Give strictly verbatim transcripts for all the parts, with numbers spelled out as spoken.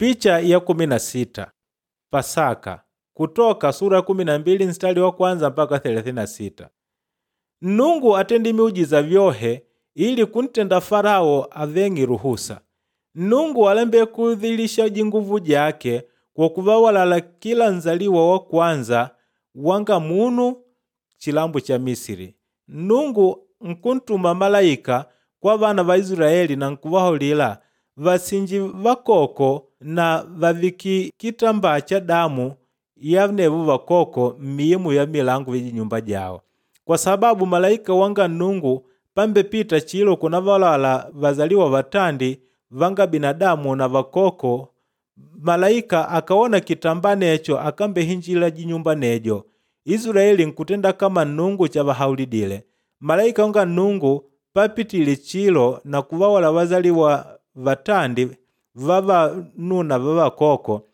Picha ya kumi na sita Pasaka Kutoka sura ya kumi na mbili mstari wa kwanza mpaka thelathini na sita. Nnungu atende miujiza vyohe ili kuntenda Farao aveng'i ruhusa. Nnungu alembe kudhilisha jinguvu jake kwa kuvawalala kila nzaliwa wa kwanza wanga munu chilambo cha Misiri. Nnungu nkuntuma malaika kwa vana va Israeli na nkuvahaulila vasinji vakoko na vaviki kitambaa cha damu ya nevo vakoko mmiimu ya milango ya nyumba jao. Kwa sababu malaika wanga Nnungu pambepita chilo kunavalala vazaliwa vatandi vanga binadamu na vakoko, malaika akawona kitambaa necho akambehinjila jinyumba nejo. Israeli nkutenda kama Nnungu chavahaulidile. Malaika wanga Nnungu papitile chilo na kuvawala vazaliwa vatandi vavanuna vavakoko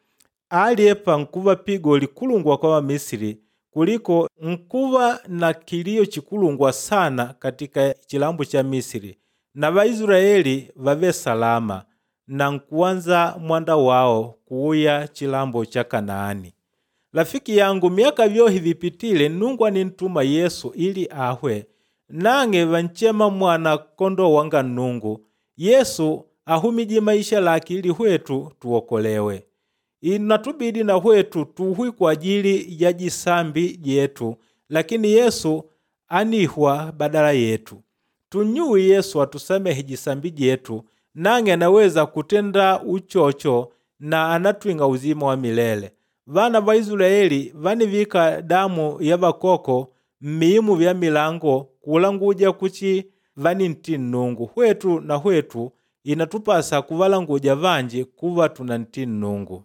aliepa nkuva pigo likulungwa kwa Wamisiri kuliko nkuva na kilio chikulungwa sana katika chilambo cha Misiri na Vaisraeli vave salama na nkuwanza mwanda wao kuuya chilambo cha Kanaani. Rafiki yangu, miaka vyohi vipitile Nnungu anintuma Yesu ili ahwe nang'e vanchema mwana kondoo wanga Nnungu. Yesu ahumije maisha lake ili hwetu tuokolewe. Inatubidi na hwetu tuhwi kwa ajili ya jisambi jetu, lakini Yesu anihwa badala yetu. Tunyuwi Yesu atusamehe jisambi jetu, nang'e anaweza kutenda uchocho na anatwing'a uzima wa milele. Vana va Israeli vanivika damu ya vakoko mmiimu vya milango kulanguja kuchi vaninti Nnungu. Hwetu na hwetu inatupasa kuvalanguja vanji kuva tunanti Nnungu.